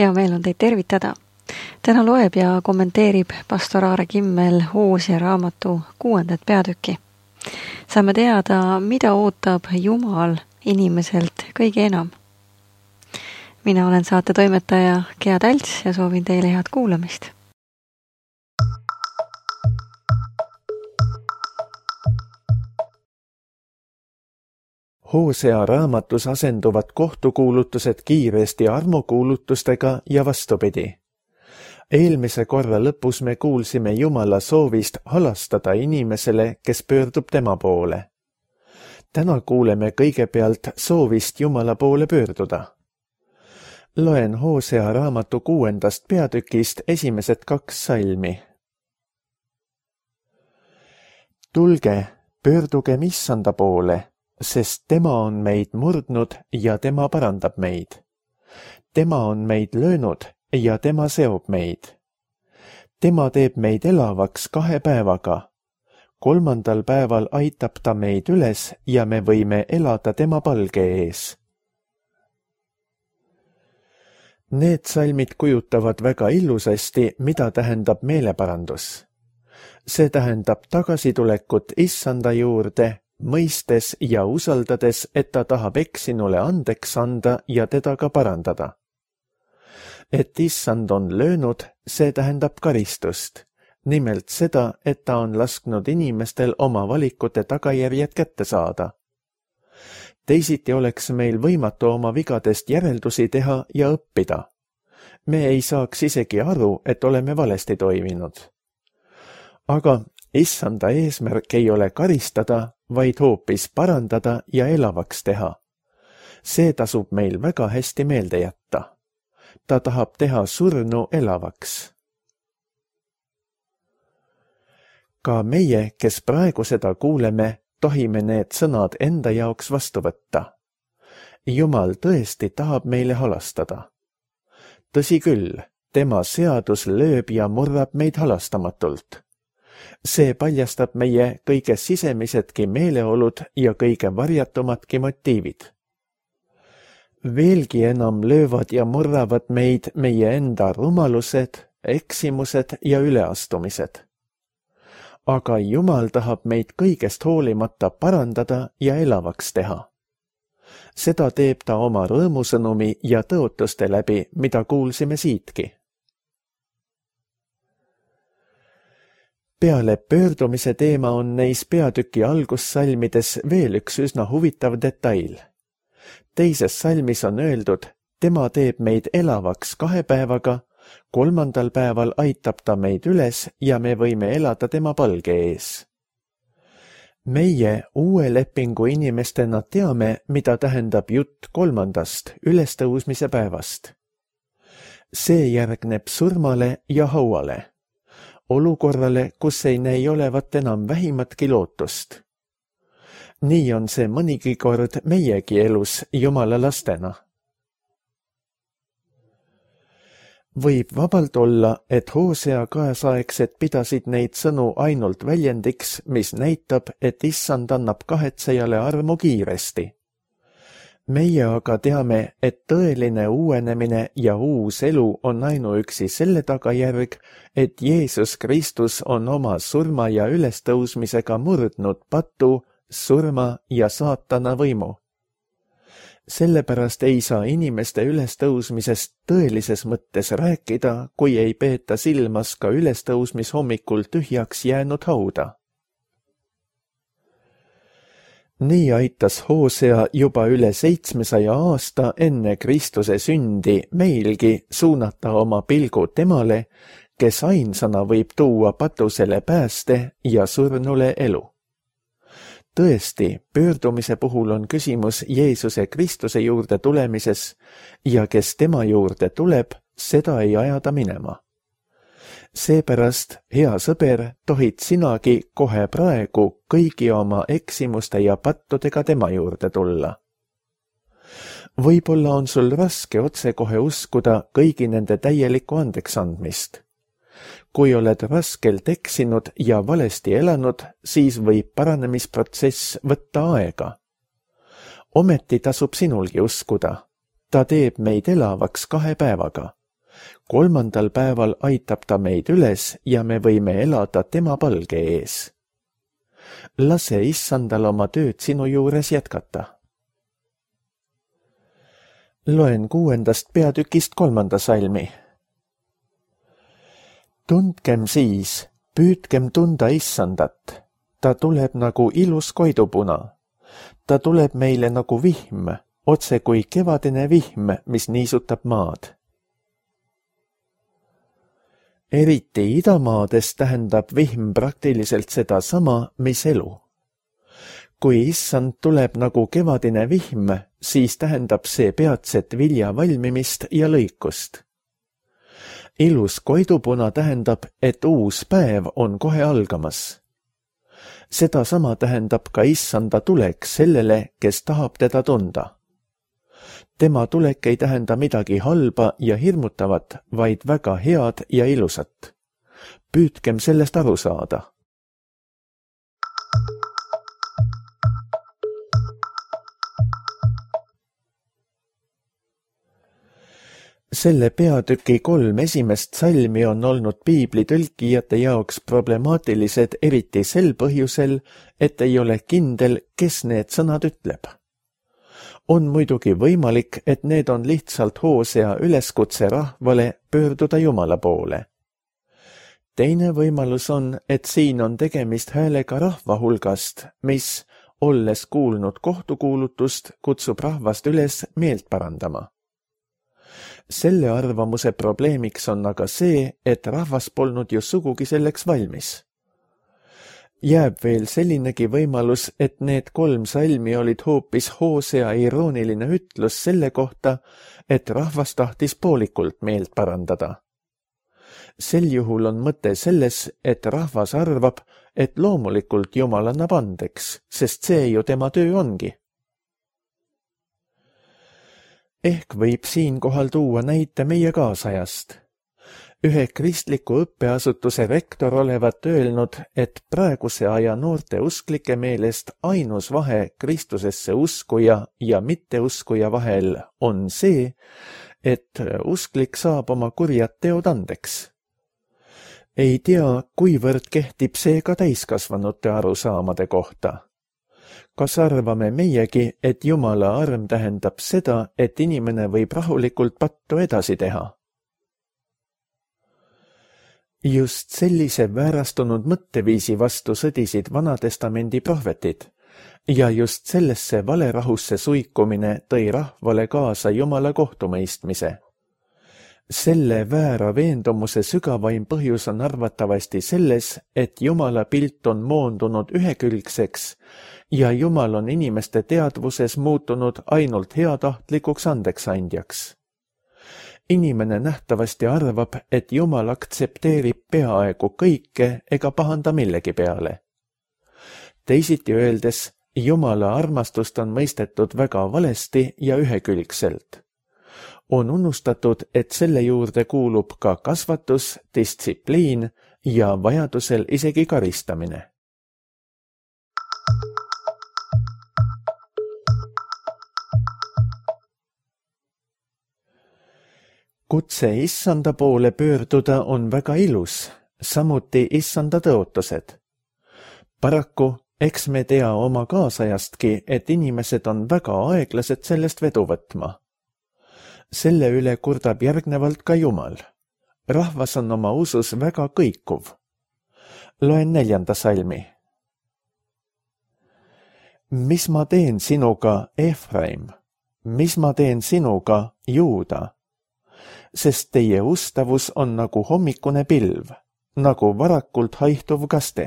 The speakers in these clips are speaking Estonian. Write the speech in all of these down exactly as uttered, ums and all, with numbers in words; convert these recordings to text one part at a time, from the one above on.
Hea meel on teid tervitada. Täna loeb ja kommenteerib pastor Aare Kimmel Hoosea raamatu kuuendat peatükki. Saame teada, mida ootab Jumal inimeselt kõige enam. Mina olen saate toimetaja Gea Talts ja soovin teile head kuulamist. Hoosea raamatus asenduvad kohtukuulutused kiiresti armukuulutustega ja vastupidi. Eelmise korra lõpus me kuulsime Jumala soovist halastada inimesele, kes pöördub tema poole. Täna kuuleme kõigepealt soovist Jumala poole pöörduda. Loen Hoosea raamatu kuuendast peatükist esimesed kaks salmi. Tulge, pöördugem Issanda poole, sest tema on meid murdnud ja tema parandab meid. Tema on meid löönud ja tema seob meid. Tema teeb meid elavaks kahe päevaga. Kolmandal päeval aitab ta meid üles ja me võime elada tema palge ees. Need salmid kujutavad väga illusasti, mida tähendab meeleparandus. See tähendab tagasitulekut Issanda juurde, mõistes ja usaldades, et ta tahab eksinule andeks anda ja teda ka parandada. Et Issand on löönud, see tähendab karistust. Nimelt seda, et ta on lasknud inimestel oma valikute tagajärjed kätte saada. Teisiti oleks meil võimatu oma vigadest järeldusi teha ja õppida. Me ei saaks isegi aru, et oleme valesti toiminud. Aga Issanda eesmärk ei ole karistada, vaid hoopis parandada ja elavaks teha. See tasub meil väga hästi meelde jätta. Ta tahab teha surnu elavaks. Ka meie, kes praegu seda kuuleme, tohime need sõnad enda jaoks vastu võtta. Jumal tõesti tahab meile halastada. Tõsi küll, tema seadus lööb ja murrab meid halastamatult. See paljastab meie kõige sisemisedki meeleolud ja kõige varjatumadki motiivid. Veelgi enam löövad ja murravad meid meie enda rumalused, eksimused ja üleastumised. Aga Jumal tahab meid kõigest hoolimata parandada ja elavaks teha. Seda teeb ta oma rõõmusõnumi ja tõotuste läbi, mida kuulsime siitki. Peale pöördumise teema on neis peatüki algussalmides veel üks üsna huvitav detail. Teises salmis on öeldud, tema teeb meid elavaks kahe päevaga, kolmandal päeval aitab ta meid üles ja me võime elada tema palge ees. Meie uue lepingu inimestena teame, mida tähendab jutt kolmandast ülestõusmise päevast. See järgneb surmale ja hauale. Olukorrale, kus ei näi olevat enam vähimatki lootust. Nii on see mõnigi kord meiegi elus Jumala lastena. Võib vabalt olla, et Hoosea kaasaegsed pidasid neid sõnu ainult väljendiks, mis näitab, et Issand annab kahetsejale armu kiiresti. Meie aga teame, et tõeline uuenemine ja uus elu on ainuüksi selle tagajärg, et Jeesus Kristus on oma surma ja ülestõusmisega murdnud patu, surma ja saatana võimu. Sellepärast ei saa inimeste ülestõusmisest tõelises mõttes rääkida, kui ei peeta silmas ka ülestõusmishommikul tühjaks jäänud hauda. Nii aitas Hoosea juba üle seitsmesaja aasta enne Kristuse sündi meilgi suunata oma pilgu temale, kes ainsana võib tuua patusele pääste ja surnule elu. Tõesti, pöördumise puhul on küsimus Jeesuse Kristuse juurde tulemises ja kes tema juurde tuleb, seda ei ajada minema. Seepärast, hea sõber, tohid sinagi kohe praegu kõigi oma eksimuste ja pattudega tema juurde tulla. Võib-olla on sul raske otsekohe uskuda kõigi nende täielikku andeksandmist. Kui oled raskelt eksinud ja valesti elanud, siis võib paranemisprotsess võtta aega. Ometi tasub sinulgi uskuda. Ta teeb meid elavaks kahe päevaga. kolmandal päeval aitab ta meid üles ja me võime elada tema palge ees. Lase issandal oma tööd sinu juures jätkata. Loen kuuendast peatükist kolmanda salmi. Tundkem siis, püüdkem tunda issandat. Ta tuleb nagu ilus koidupuna. Ta tuleb meile nagu vihm, otse kui kevadine vihm, mis niisutab maad. Eriti idamaades tähendab vihm praktiliselt seda sama, mis elu. Kui issand tuleb nagu kevadine vihm, siis tähendab see peatset vilja valmimist ja lõikust. Ilus koidupuna tähendab, et uus päev on kohe algamas. Seda sama tähendab ka issanda tulek sellele, kes tahab teda tunda. Tema tulek ei tähenda midagi halba ja hirmutavat, vaid väga head ja ilusat. Püüdkem sellest aru saada. Selle peatüki kolm esimest salmi on olnud piibli tõlkijate jaoks problemaatilised eriti sel põhjusel, et ei ole kindel, kes need sõnad ütleb. On muidugi võimalik, et need on lihtsalt Hoosea üleskutse rahvale pöörduda Jumala poole. Teine võimalus on, et siin on tegemist häälega rahva hulgast, mis, olles kuulnud kohtukuulutust, kutsub rahvast üles meelt parandama. Selle arvamuse probleemiks on aga see, et rahvas polnud ju sugugi selleks valmis. Jääb veel sellinegi võimalus, et need kolm salmi olid hoopis Hoosea irooniline ütlus selle kohta, et rahvas tahtis poolikult meelt parandada. Sel juhul on mõte selles, et rahvas arvab, et loomulikult Jumal annab andeks, sest see ju tema töö ongi. Ehk võib siinkohal tuua näite meie kaasajast. Ühe kristliku õppeasutuse rektor olevat öelnud, et praeguse aja noorte usklike meelest ainus vahe Kristusesse uskuja ja mitteuskuja vahel on see, et usklik saab oma kurjad teod andeks. Ei tea, kuivõrd kehtib see ka täiskasvanute arusaamade kohta. Kas arvame meiegi, et Jumala arm tähendab seda, et inimene võib rahulikult pattu edasi teha? Just sellise väärastunud mõtteviisi vastu sõdisid Vanatestamendi prohvetid ja just sellesse valerahusse suikumine tõi rahvale kaasa Jumala kohtumõistmise. Selle väära veendumuse sügavaim põhjus on arvatavasti selles, et Jumala pilt on moondunud ühekülgseks ja Jumal on inimeste teadvuses muutunud ainult heatahtlikuks andeksandjaks. Inimene nähtavasti arvab, et Jumal aktsepteerib peaaegu kõike ega pahanda millegi peale. Teisiti öeldes, Jumala armastust on mõistetud väga valesti ja ühekülgselt. On unustatud, et selle juurde kuulub ka kasvatus, distsipliin ja vajadusel isegi karistamine. Kutse issanda poole pöörduda on väga ilus, samuti issanda tõotused. Paraku, eks me tea oma kaasajastki, et inimesed on väga aeglased sellest vedu võtma. Selle üle kurdab järgnevalt ka Jumal. Rahvas on oma usus väga kõikuv. Loen neljanda salmi. Mis ma teen sinuga, Efraim? Mis ma teen sinuga, Juuda? Sest teie ustavus on nagu hommikune pilv, nagu varakult haihtuv kaste.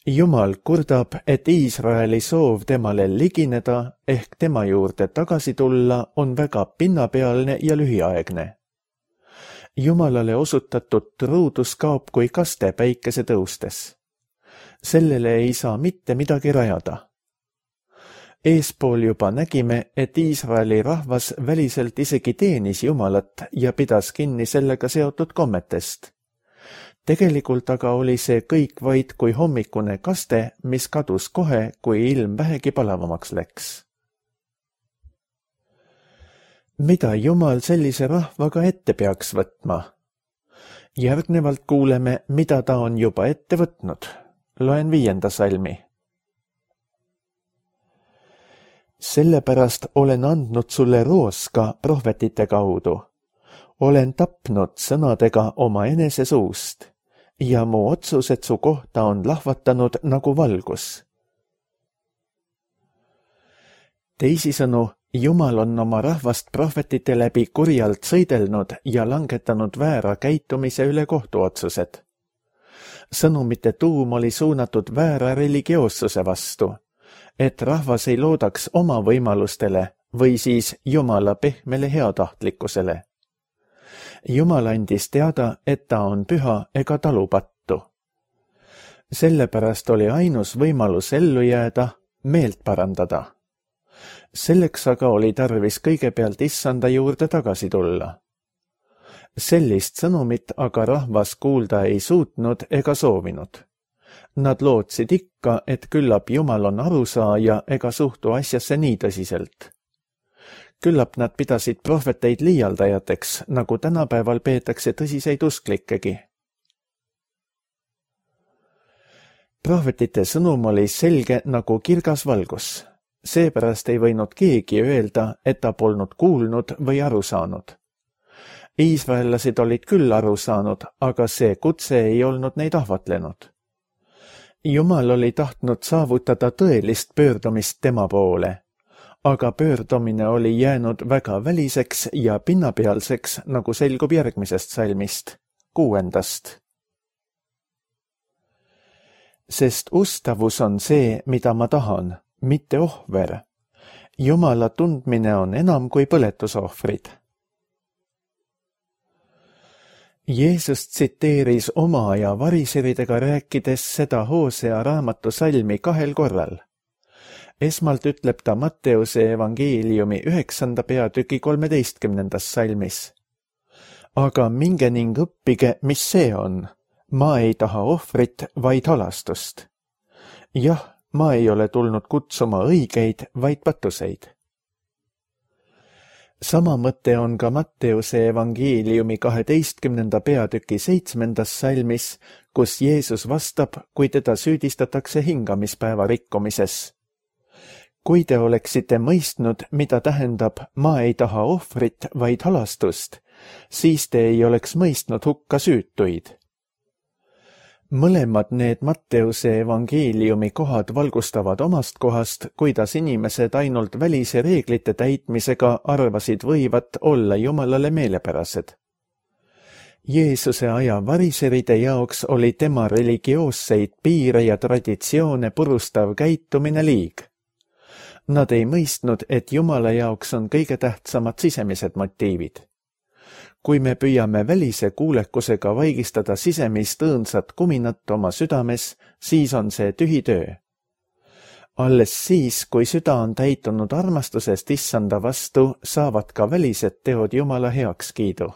Jumal kurdab, et Iisraeli soov temale ligineda ehk tema juurde tagasi tulla on väga pinnapealne ja lühiaegne. Jumalale osutatud truudus kaob kui kaste päikese tõustes. Sellele ei saa mitte midagi rajada. Eespool juba nägime, et Iisraeli rahvas väliselt isegi teenis Jumalat ja pidas kinni sellega seotud kommetest. Tegelikult aga oli see kõik vaid kui hommikune kaste, mis kadus kohe, kui ilm vähegi palavamaks läks. mida Jumal sellise rahvaga ette peaks võtma? Järgnevalt kuuleme, mida ta on juba ette võtnud. Loen viienda salmi. Sellepärast olen andnud sulle rooska prohvetite kaudu. Olen tapnud sõnadega oma enese suust ja mu otsused su kohta on lahvatanud nagu valgus. Teisisõnu, Jumal on oma rahvast prohvetite läbi kurjalt sõidelnud ja langetanud väära käitumise üle kohtuotsused. Sõnumite tuum oli suunatud väära religioossuse vastu, et rahvas ei loodaks oma võimalustele või siis Jumala pehmele heatahtlikkusele. Jumal andis teada, et ta on püha ega talupattu. Sellepärast oli ainus võimalus ellu jääda, meelt parandada. Selleks aga oli tarvis kõigepealt issanda juurde tagasi tulla. Sellist sõnumit aga rahvas kuulda ei suutnud ega soovinud. Nad lootsid ikka, et küllap Jumal on arusaaja ega suhtu asjasse nii tõsiselt. Küllap nad pidasid prohveteid liialdajateks, nagu tänapäeval peetakse tõsiseid usklikkegi. Prohvetite sõnum oli selge nagu kirgas valgus. Seepärast ei võinud keegi öelda, et ta polnud kuulnud või aru saanud. Iisraellased olid küll aru saanud, aga see kutse ei olnud neid ahvatlenud. Jumal oli tahtnud saavutada tõelist pöördumist tema poole, aga pöördumine oli jäänud väga väliseks ja pinnapealseks, nagu selgub järgmisest salmist, kuuendast. Sest ustavus on see, mida ma tahan, mitte ohver. Jumala tundmine on enam kui põletusohvrid. Jeesus tsiteeris oma aja variseridega rääkides seda Hoosea raamatu salmi kahel korral. Esmalt ütleb ta Matteuse evangeeliumi üheksanda peatüki kolmeteistkümnendas salmis. Aga minge ning õppige, mis see on. Ma ei taha ohvrit, vaid halastust. Jah, ma ei ole tulnud kutsuma õigeid, vaid patuseid. Sama mõte on ka Matteuse evangeeliumi kaheteistkümnenda peatüki seitsmendas salmis, kus Jeesus vastab, kui teda süüdistatakse hingamispäeva rikkumises. Kui te oleksite mõistnud, mida tähendab ma ei taha ohvrit, vaid halastust, siis te ei oleks mõistnud hukka süütuid. Mõlemad need Matteuse evangeeliumi kohad valgustavad omast kohast, kuidas inimesed ainult välise reeglite täitmisega arvasid võivat olla Jumalale meelepärased. Jeesuse aja variseride jaoks oli tema religioosseid piire ja traditsioone purustav käitumine liig. Nad ei mõistnud, et Jumala jaoks on kõige tähtsamad sisemised motiivid. Kui me püüame välise kuulekusega vaigistada sisemist õõnsat kuminat oma südames, siis on see tühi töö. Alles siis, kui süda on täitunud armastusest issanda vastu, saavad ka välised teod Jumala heakskiidu.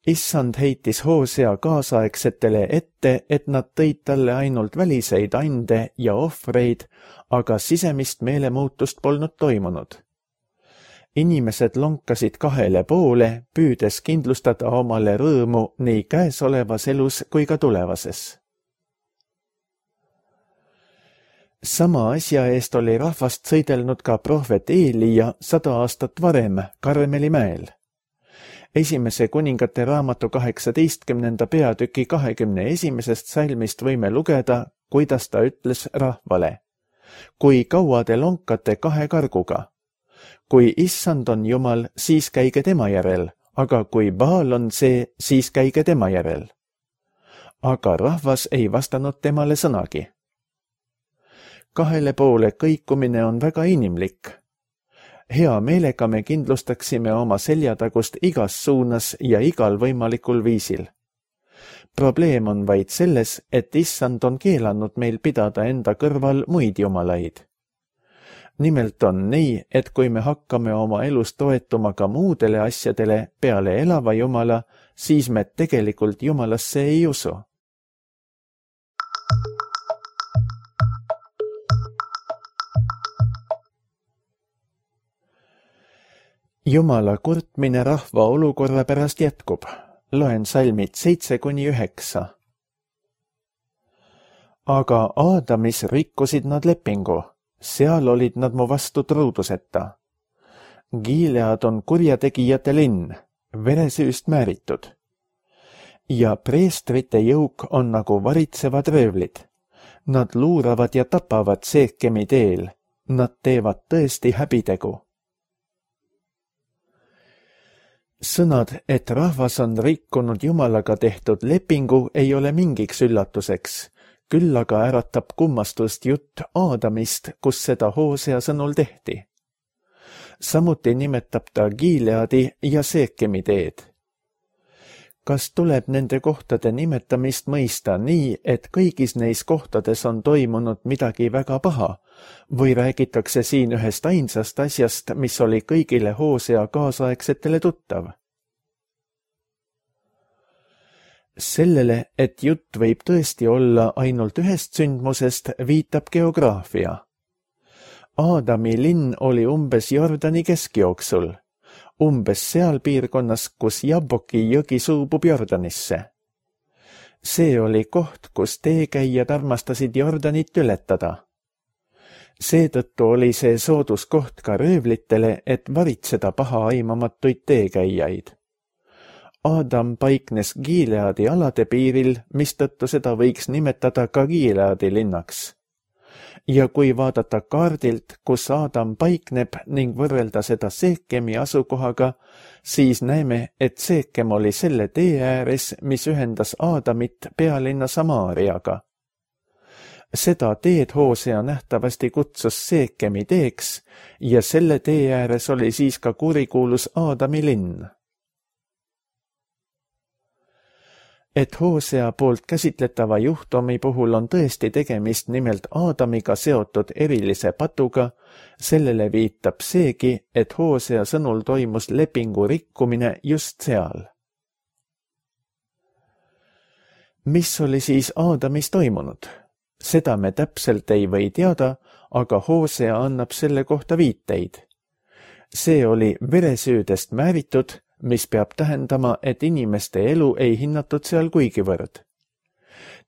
Issand heitis Hoosea kaasaegsetele ette, et nad tõid talle ainult väliseid ande ja ohvreid, aga sisemist meelemuutust polnud toimunud. Inimesed lonkasid kahele poole, püüdes kindlustada omale rõõmu nii käesolevas elus kui ka tulevases. Sama asja eest oli rahvast sõidelnud ka prohvet Eelija sada aastat varem Karmeli mäel. Esimese kuningate raamatu kaheksateistkümnenda peatüki kahekümne esimesest salmist võime lugeda, kuidas ta ütles rahvale. Kui kaua te lonkate kahe karguga? Kui issand on Jumal, siis käige tema järel, aga kui Baal on see, siis käige tema järel. Aga rahvas ei vastanud temale sõnagi. Kahele poole kõikumine on väga inimlik. Hea meelega me kindlustaksime oma seljatagust igas suunas ja igal võimalikul viisil. Probleem on vaid selles, et issand on keelanud meil pidada enda kõrval muid jumalaid. Nimelt on nii, et kui me hakkame oma elus toetuma ka muudele asjadele peale elava Jumala, siis me tegelikult Jumalasse ei usu. Jumala kurtmine rahva olukorra pärast jätkub. Loen salmid seitse kuni üheksa. Aga Aadamis rikkusid nad lepingu, seal olid nad mu vastu truuduseta. Gilead on kurjategijate linn, veresüüst määritud. Ja preestrite jõuk on nagu varitsevad röövlid. Nad luuravad ja tapavad Seekemi teel, nad teevad tõesti häbitegu. Sõnad, et rahvas on rikkunud Jumalaga tehtud lepingu, ei ole mingiks üllatuseks, küll aga äratab kummastust jutt Aadamist, kus seda Hoosea sõnul tehti. Samuti nimetab ta Gileadi ja Seekemi teed. Kas tuleb nende kohtade nimetamist mõista nii, et kõigis neis kohtades on toimunud midagi väga paha, või räägitakse siin ühest ainsast asjast, mis oli kõigile Hoosea kaasaegsetele tuttav? Sellele, et jutt võib tõesti olla ainult ühest sündmusest, viitab geograafia. Aadami linn oli umbes Jordani keskjooksul, umbes seal piirkonnas, kus Jabboki jõgi suubub Jordanisse. See oli koht, kus teekäijad armastasid Jordanit ületada. Seetõttu oli see soodus koht ka röövlitele, et varitseda paha aimamatuid teekäijaid. Aadam paiknes Gileadi alade piiril, mistõttu seda võiks nimetada ka Gileadi linnaks. Ja kui vaadata kaardilt, kus Aadam paikneb ning võrrelda seda Seekemi asukohaga, siis näeme, et Seekem oli selle tee ääres, mis ühendas Aadamit pealinna Samaariaga. Seda teed Hoosea nähtavasti kutsus Seekemi teeks ja selle tee ääres oli siis ka kurikuulus Aadami linn. Et Hoosea poolt käsitletava juhtumi puhul on tõesti tegemist nimelt Aadamiga seotud erilise patuga, sellele viitab seegi, et Hoosea sõnul toimus lepingu rikkumine just seal. Mis oli siis Aadamis toimunud? Seda me täpselt ei või teada, aga Hoosea annab selle kohta viiteid. See oli veresüüdest määritud, mis peab tähendama, et inimeste elu ei hinnatud seal kuigivõrd.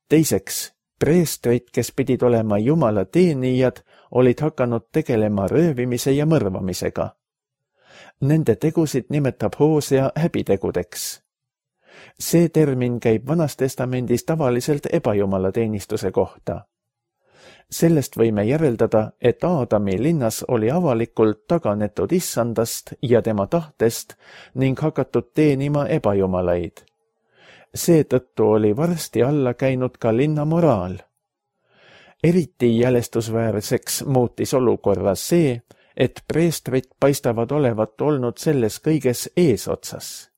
Teiseks, preestrid, kes pidid olema Jumala teenijad, olid hakanud tegelema röövimise ja mõrvamisega. Nende tegusid nimetab Hoosea häbitegudeks. See termin käib Vanas Testamendis tavaliselt ebajumala teenistuse kohta. Sellest võime järeldada, et Aadami linnas oli avalikult taganetud issandast ja tema tahtest ning hakatud teenima ebajumalaid. Seetõttu oli varsti alla käinud ka linna moraal. Eriti jälestusväärseks muutis olukorra see, et preestrid paistavad olevat olnud selles kõiges eesotsas.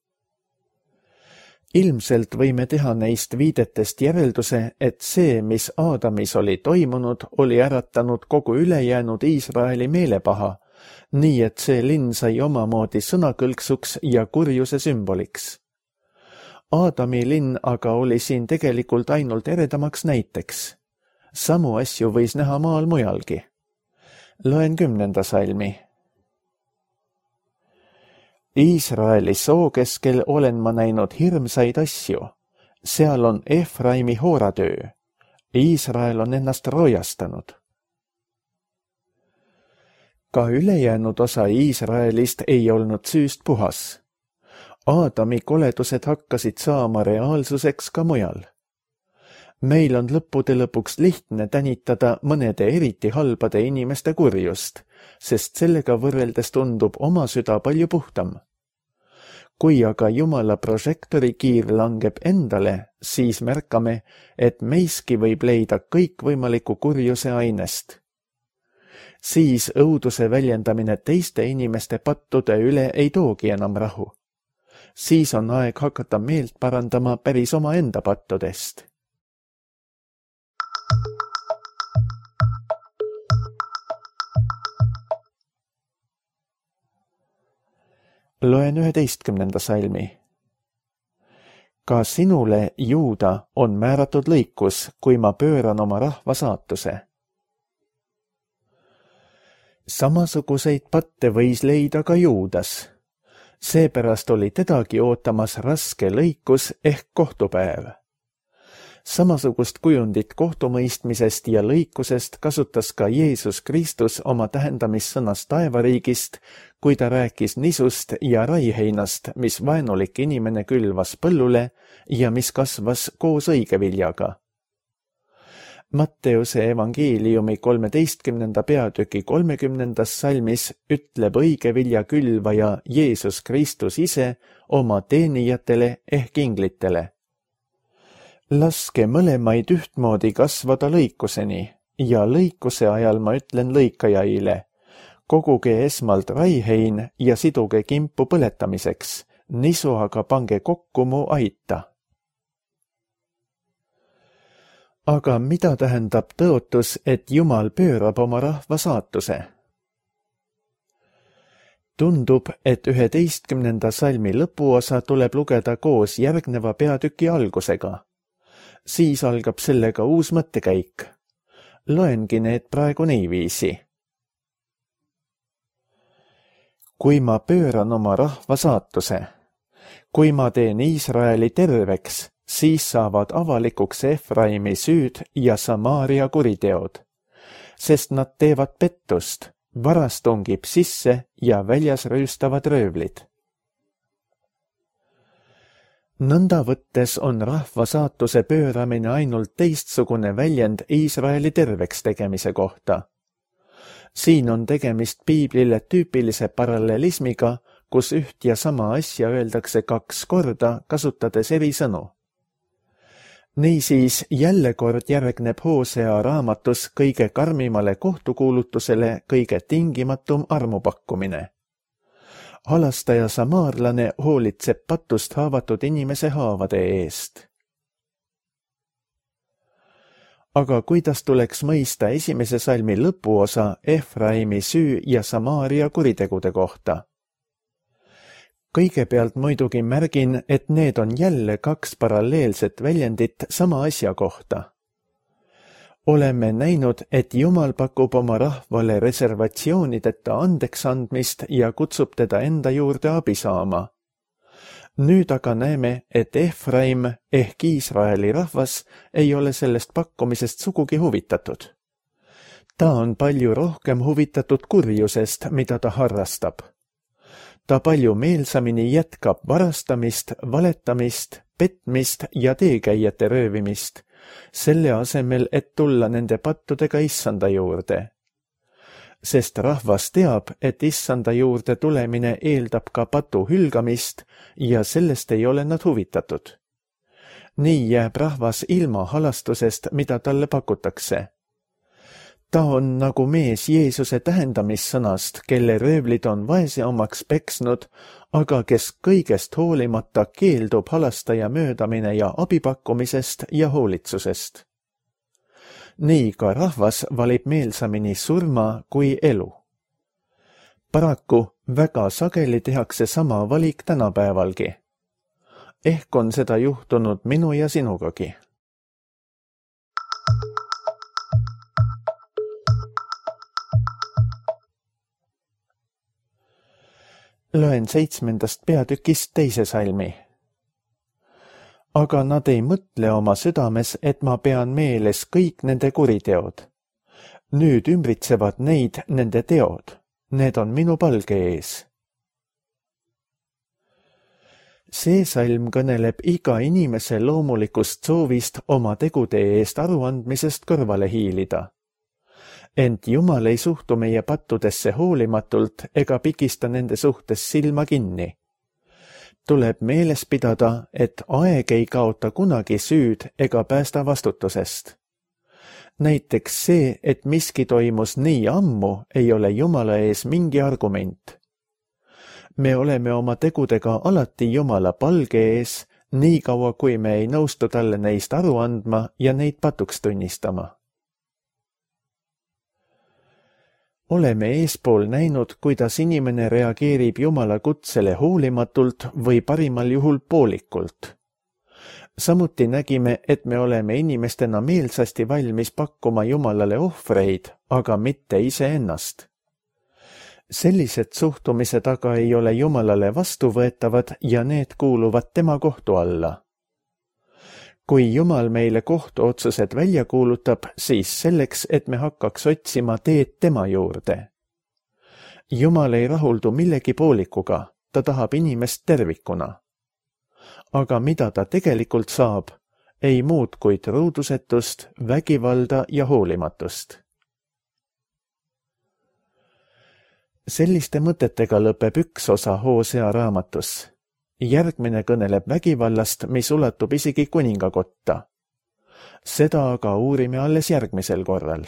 Ilmselt võime teha neist viidetest järelduse, et see, mis Aadamis oli toimunud, oli äratanud kogu ülejäänud Iisraeli meelepaha, nii et see linn sai omamoodi sõnakõlksuks ja kurjuse sümboliks. Aadami linn aga oli siin tegelikult ainult eredamaks näiteks. Samu asju võis näha maal mujalgi. Loen kümnenda salmi. Iisraeli soo keskel olen ma näinud hirmsaid asju. Seal on Efraimi hooratöö. Iisrael on ennast rojastanud. Ka ülejäänud osa Iisraelist ei olnud süüst puhas. Aadami koledused hakkasid saama reaalsuseks ka mujal. Meil on lõppude lõpuks lihtne tänitada mõnede eriti halbade inimeste kurjust, sest sellega võrreldes tundub oma süda palju puhtam. Kui aga Jumala prožektorikiir langeb endale, siis märkame, et meiski võib leida kõikvõimaliku kurjuse ainest. Siis õuduse väljendamine teiste inimeste pattude üle ei toogi enam rahu. Siis on aeg hakata meelt parandama päris oma enda pattudest. Loen üheteistkümnenda salmi. Ka sinule, Juuda, on määratud lõikus, kui ma pööran oma rahva saatuse. Samasuguseid patte võis leida ka Juudas. Seepärast oli tedagi ootamas raske lõikus ehk kohtupäev. Samasugust kujundit kohtumõistmisest ja lõikusest kasutas ka Jeesus Kristus oma tähendamissõnas taevariigist, kui ta rääkis nisust ja raiheinast, mis vaenulik inimene külvas põllule ja mis kasvas koos õigeviljaga. Matteuse evangeeliumi kolmeteistkümnenda peatüki kolmekümnendas salmis ütleb õigevilja külvaja Jeesus Kristus ise oma teenijatele ehk inglitele. Laske mõlemaid ühtmoodi kasvada lõikuseni ja lõikuse ajal ma ütlen lõikajaile, koguge esmalt raihein ja siduge kimpu põletamiseks, nisu aga pange kokku mu aita. Aga mida tähendab tõotus, et Jumal pöörab oma rahva saatuse? Tundub, et üheteistkümnenda salmi lõpuosa tuleb lugeda koos järgneva peatüki algusega. Siis algab sellega uus mõttekäik. Loengi need praegu niiviisi. Kui ma pööran oma rahva saatuse, kui ma teen Iisraeli terveks, siis saavad avalikuks Efraimi süüd ja Samaaria kuriteod, sest nad teevad pettust, varas tungib sisse ja väljas rööstavad röövlid. Nõnda võttes on rahva saatuse pööramine ainult teistsugune väljend Iisraeli terveks tegemise kohta. Siin on tegemist piiblile tüüpilise parallelismiga, kus üht ja sama asja öeldakse kaks korda, kasutades eri sõnu. Niisiis jälle kord järgneb Hosea raamatus kõige karmimale kohtukuulutusele kõige tingimatum armupakkumine. Halastaja samaarlane hoolitseb patust haavatud inimese haavade eest. Aga kuidas tuleks mõista esimese salmi lõpuosa Efraimi süü ja Samaaria kuritegude kohta? Kõigepealt muidugi märgin, et need on jälle kaks paralleelset väljendit sama asja kohta. Oleme näinud, et Jumal pakub oma rahvale reservatsioonideta andeks andmist ja kutsub teda enda juurde abi saama. Nüüd aga näeme, et Efraim ehk Iisraeli rahvas ei ole sellest pakkumisest sugugi huvitatud. Ta on palju rohkem huvitatud kurjusest, mida ta harrastab. Ta palju meelsamini jätkab varastamist, valetamist, petmist ja teekäijate röövimist, selle asemel, et tulla nende pattudega issanda juurde. Sest rahvas teab, et issanda juurde tulemine eeldab ka patu hülgamist ja sellest ei ole nad huvitatud. Nii jääb rahvas ilma halastusest, mida talle pakutakse. Ta on nagu mees Jeesuse tähendamissõnast, kelle röövlid on vaese omaks peksnud, aga kes kõigest hoolimata keeldub halastaja möödamine ja abipakkumisest ja hoolitsusest. Nii ka rahvas valib meelsamini surma kui elu. Paraku väga sageli tehakse sama valik tänapäevalgi. Ehk on seda juhtunud minu ja sinugagi. Loen seitsmendast peatükist teise salmi. Aga nad ei mõtle oma südames, et ma pean meeles kõik nende kuriteod. Nüüd ümbritsevad neid nende teod. Need on minu palge ees. See salm kõneleb iga inimese loomulikust soovist oma tegude eest aruandmisest kõrvale hiilida. Ent Jumal ei suhtu meie pattudesse hoolimatult ega pikista nende suhtes silma kinni. Tuleb meeles pidada, et aeg ei kaota kunagi süüd ega päästa vastutusest. Näiteks see, et miski toimus nii ammu, ei ole Jumala ees mingi argument. Me oleme oma tegudega alati Jumala palge ees, nii kaua kui me ei nõustu talle neist aru andma ja neid patuks tunnistama. Oleme eespool näinud, kuidas inimene reageerib Jumala kutsele hoolimatult või parimal juhul poolikult. Samuti nägime, et me oleme inimestena meelsasti valmis pakkuma Jumalale ohvreid, aga mitte iseennast. sellised suhtumise taga ei ole Jumalale vastuvõetavad ja need kuuluvad tema kohtu alla. Kui Jumal meile kohtuotsused välja kuulutab, siis selleks, et me hakkaks otsima teed tema juurde. Jumal ei rahuldu millegi poolikuga, ta tahab inimest tervikuna. Aga mida ta tegelikult saab, ei muud kui truudusetust, vägivalda ja hoolimatust. Selliste mõtetega lõpeb üks osa Hosea raamatus. Järgmine kõneleb vägivallast, mis ulatub isegi kuningakotta. Seda aga uurime alles järgmisel korral.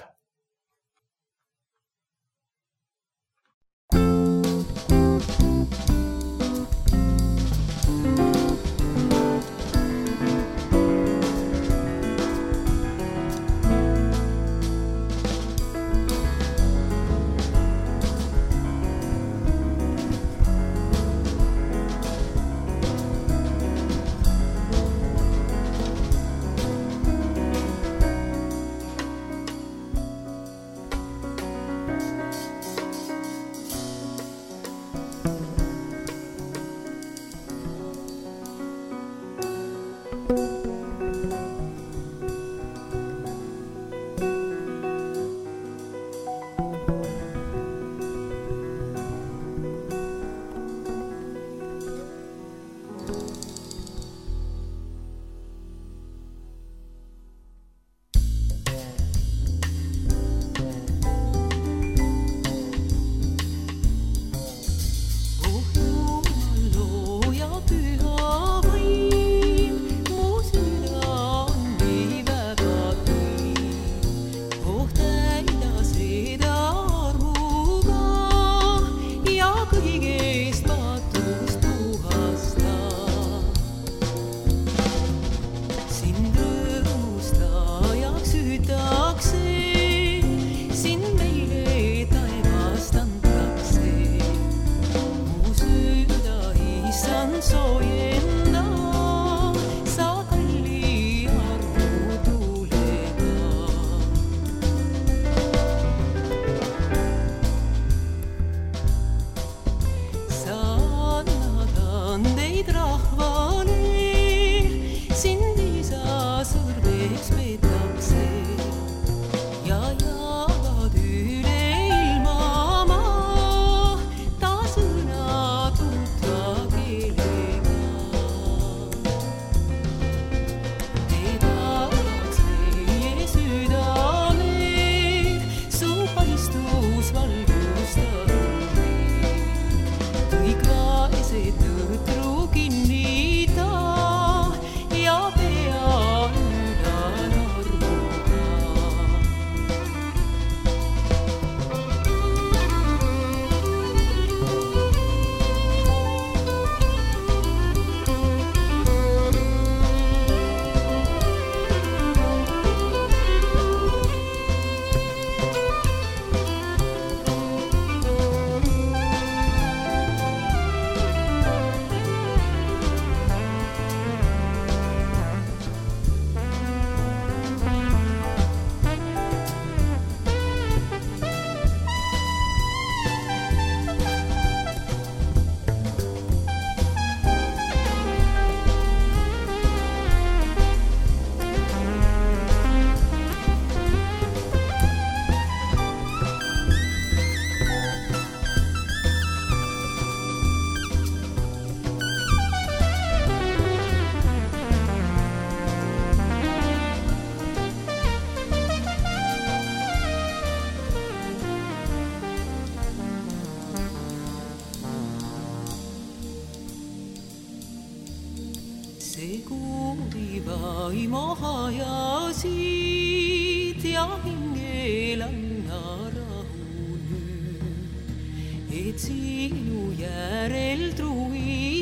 hajasid ja hingel anna rahu nüüd, et sinu järel truvi